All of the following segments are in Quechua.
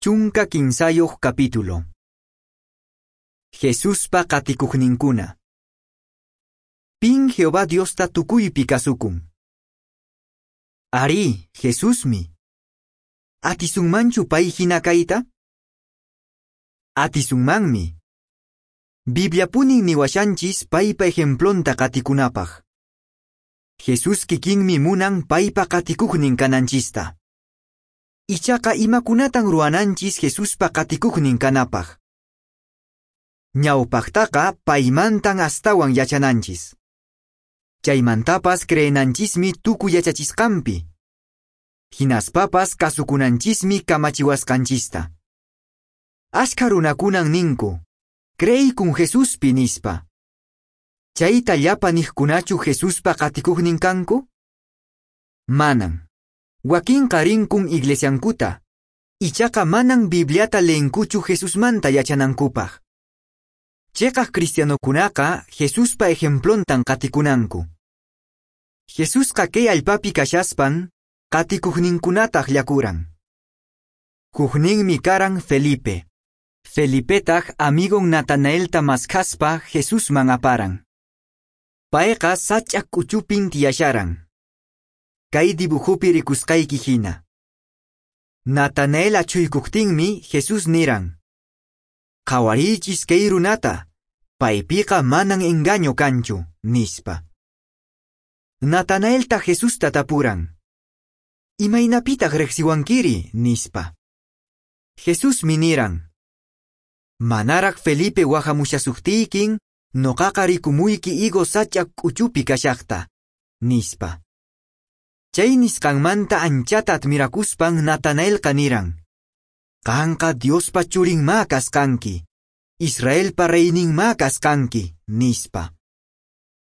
13 capítulo. Jesuspa qatikuqninkuna. Pin Jehová Diosta tukuypi kasukun? Arí, Jesusmi. Atisunmanchu pay hina kayta? Atisunmanmi. Bibliapunin niwashanchis paypa ejemplonta qatikunapaq. Jesús kikinmi munan paypa qatikuqnin kananchista. Ichaqa imakunatan ruwananchis Jesuspa qatikuqnin kanapaq? Ñawpaqtaqa paymantan astawan yachananchis. Chaymantapas creenanchismi tukuy yachachisqanpi. Hinaspapas kasukunanchismi kamachiwasqanchista. Askha runakunan ninku, creykun Jesuspi nispa. Chayta llapa niqkunachu Jesuspa qatikuqnin kanku? Manan. Wakinqa rinkun iglesiankuta, ichaqa manan Bibliata leenkuchu Jesusmanta yachanankupaq. Cheqaq cristianokunaqa Jesuspa ejemplontan qatikunanku. Jesusqa kay allpapi kashaspan qatikuqninkunata akllakuran. Hukninmi karan Felipe. Felipetaq amigon Natanaelta maskhaspa Jesusman aparan. Payqa sach'a k'uchupin tiyasharan. Kay dibujopi rikusqayki hina. Natanael achhuykuqtinmi Jesús niran: Qhawariychis kay runata, paypiqa manan engaño kanchu, nispa. Natanaelta Jesusta tapuran: Imaynapitaq riqsiwankiri, nispa. Jesusmi niran: Manaraq Felipe wahamushasuqtiykin, noqaqa rikumuyki higo sach'a k'uchupi kashaqta, nispa. Chay nisqanmanta anchata admirakuspan Natanaelqa niran: Qanqa Diospa churinmá kasqanki, Israelpa reyninmá kasqanki, nispa.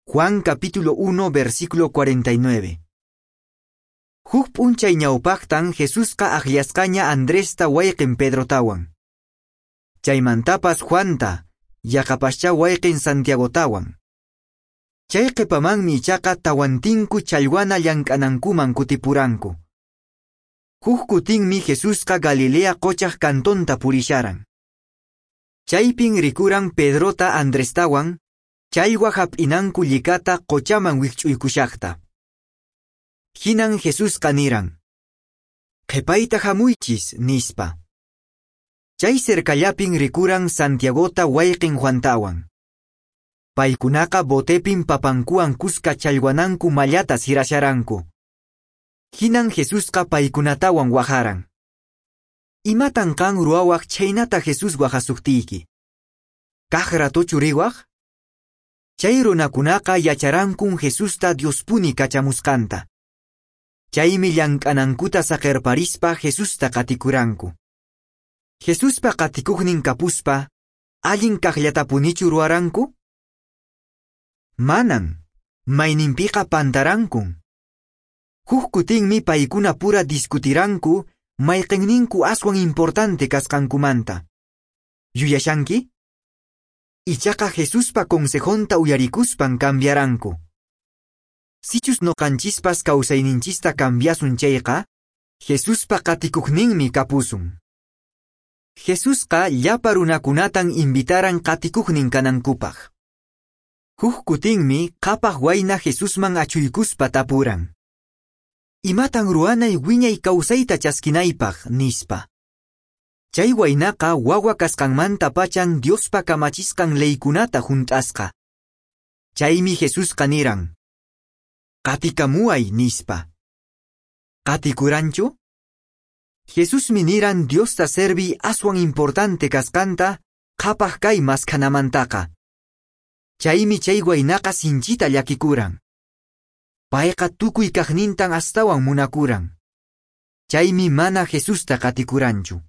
Juan capítulo 1 versículo 49. Huk p'unchay ñawpaqtan Jesusqa akllasqaña Andresta wayqin Pedrotawan. Chaymantapas Juanta, yaqapaschá wayqin Santiagotawan. Chay qhipamanmi ichaqa tawantinku challwana llank'anankuman kutipuranku. Huk kutinmi Jesusqa Galilea qochaq kantonta purisharan. Chaypin rikuran Pedrota Andrestawan, challwa hap'inanku llikata qochaman wikch'uykushaqta. Hinan Jesusqa niran: Qhipayta hamuychis, nispa. Chay cercallapin rikuran Santiagota wayqin Juantawan. Paykunaqa botepin papankuwan kuska challwananku mallata sirasharanku. Hinan Jesusqa paykunatawan waharan. Imatan qan ruwawaq chhaynata Jesús wahasuqtiyki? Kaq ratochu riwaq? Chay runakunaqa yacharankun Jesusta Diospuni kachamusqanta. Chaymi llank'anankuta saqerparispa Jesusta qatikuranku. Jesuspa qatikuqnin kapuspa, allin kaqllatapunichu ruwaranku? Manan, mayninpiqa pantarankun. Huk kutinmi paykuna pura discutiranku mayqinninku aswan importante kasqankumanta. Yuyashanki? Ichaqa Jesuspa consejonta uyarikuspan cambiaranku. Sichus noqanchispas kawsayninchista cambiasun chayqa, Jesuspa qatikuqninmi kapusun. Jesusqa llapa runakunatan invitaran qatikuqnin kanankupaq. Huk kutinmi qhapaq wayna Jesusman achhuykuspa tapuran: Imatan ruwanay wiñay kawsayta chaskinaypaq, nispa. Chay waynaqa wawa kasqanmanta pachan Diospa kamachisqan leykunata hunt'asqa. Chaymi Jesusqa niran: Qatikamuway, nispa. Qatikuranchu? Jesusmi niran Diosta servi aswan importante kasqanta qhapaq kay maskhanamantaqa. Chaymi chay waynaqa sinchita llakikuran. Payqa tukuy kaqnintan astawan munakuran. Chaymi mana Jesusta qatikuranchu.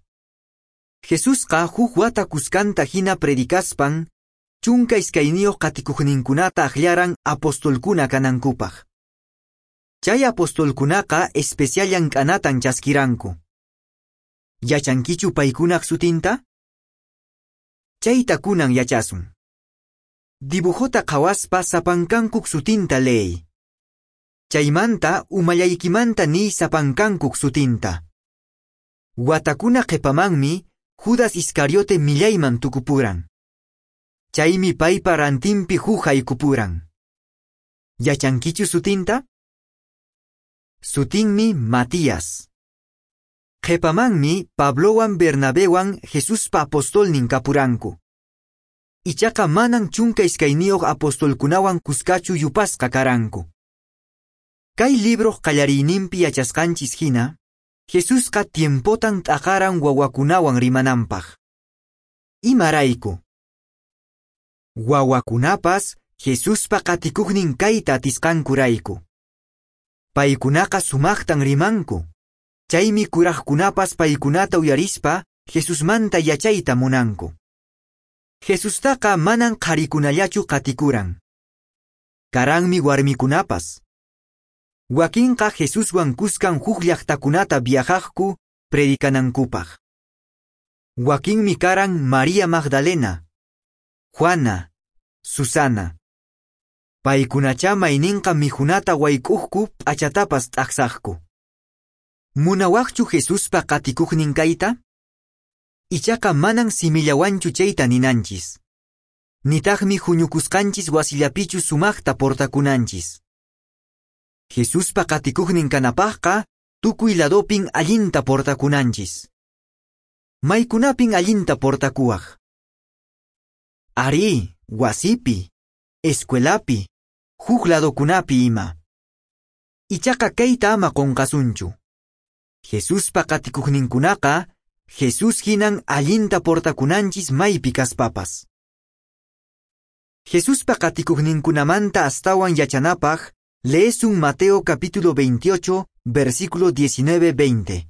Jesusqa huk wata kuskanta hina predicaspan, 12 qatikuqninkunata akllaran apostolkuna kanankupaq. Chay apostolkunaqa especial llank'anatan chaskiranku. Yachankichu paykunaq sutinta? Chayta kunan yachasun. Dibujota qhawaspa sapankankuk sutinta leey. Chaymanta umallaykimanta niy sapankankuk sutinta. Watakuna qhipamanmi Judas Iscariote millayman tukupuran. Chaymi paypa rantinpi huk haykupuran. Yachankichu sutinta? Sutinmi Matías. Qhipamanmi Pablowan Bernabewan Jesuspa apostolnin kapuranku. Ichaqa manan 12 apostolkunawan kuskachu yupasqa karanku. Kay libroq qallariyninpi yachasqanchis hina, Jesusqa tiempotan t'aqaran wawakunawan rimananpaq. Imarayku? Wawakunapas Jesuspa qatikuqnin kayta atisqankurayku. Paykunaqa sumaqtan rimanku. Chaymi kuraqkunapas paykunata uyarispa Jesusmanta yachayta munanku. Jesustaqa manan qharikunallachu qatikuran. Karanmi warmikunapas. Wakinqa Jesuswan kuskan huk llaqtakunata viajaqku predicanankupaq. Wakinmi karan María Magdalena, Juana, Susana. Paykunacha mayninqa mikhunata wayk'uqku p'achatapas t'aqsaqku. Munawaqchu Jesuspa qatikuqnin kayta? Ichaqa manan simillawanchu chayta ninanchis. Nitaqmi huñukusqanchis wasillapichu sumaqta portakunanchis. Jesuspa qatikuqnin kanapaqqa tukuy ladopin allinta portakunanchis. Maykunapin allinta portakuwaq? Arí, wasipi, escuelapi, huk ladokunapi ima. Ichaqa kayta ama qunqasunchu. Jesuspa qatikuqninkunaqa Jesús hinan allinta portakunanchis maypi kaspapas. Jesuspa qatikuqninkunamanta astawan yachanapaq leesun Mateo capítulo 28, versículo 19-20.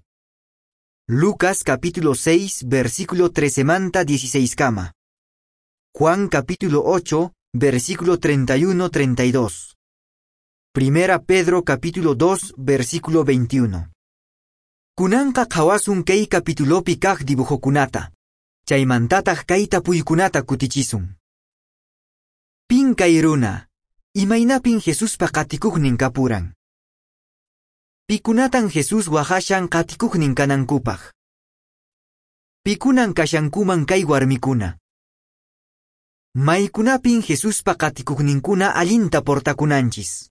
Lucas capítulo 6, versículo 13 manta 16 kama. Juan capítulo 8, versículo 31-32. Primera Pedro capítulo 2, versículo 21. Kunanqa qhawasun kay capitulopi kaq dibujokunata. Chaymantataq kay tapuykunata kutichisun. Pin kay runa, imaynapin Jesuspa qatikuqnin kapuran. Pikunatan Jesús waqhashan qatikuqnin kanankupaq. Pikunan kashankuman kay warmikuna. Maykunapin Jesuspa qatikuqninkuna allinta portakunanchis.